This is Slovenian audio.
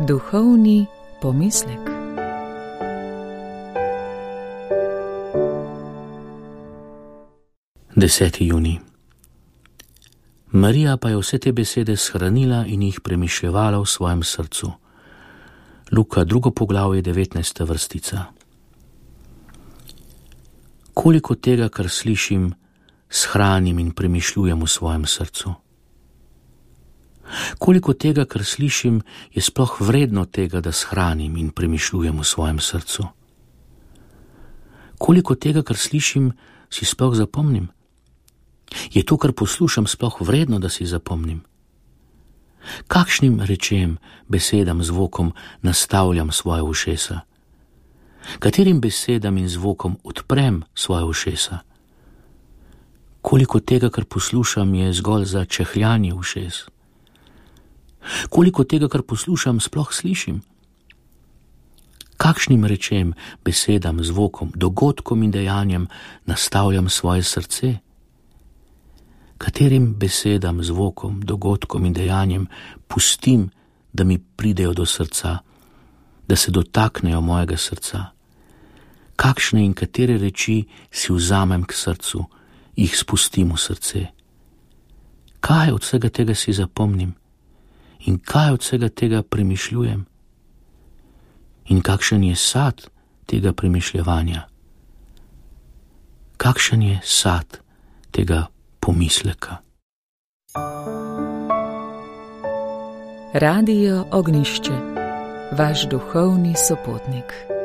Duhovni pomislek. Deseti junij. Marija pa je vse te besede shranila in jih premišljevala v svojem srcu. Luka 2. poglavje 19. vrstica. Koliko tega, kar slišim, shranim in premišljujem v svojem srcu? Koliko tega, kar slišim, je sploh vredno tega, da shranim in premišljujem v svojem srcu? Koliko tega, kar slišim, si sploh zapomnim? Je to, kar poslušam, sploh vredno, da si zapomnim? Kakšnim rečem, besedam, zvokom nastavljam svoje ušesa? Katerim besedam in zvokom odprem svoje ušesa? Koliko tega, kar poslušam, je zgolj za čehljanje ušes? Koliko tega, kar poslušam, sploh slišim? Kakšnim rečem, besedam, zvokom, dogodkom in dejanjem nastavljam svoje srce? Katerim besedam, zvokom, dogodkom in dejanjem pustim, da mi pridejo do srca, da se dotaknejo mojega srca? Kakšne in katere reči si vzamem k srcu, jih spustim v srce? Kaj od vsega tega si zapomnim? In kaj od vsega tega premišljujem? In kakšen je sad tega premišljevanja? Kakšen je sad tega pomisleka? Radio Ognjišče, vaš duhovni sopotnik.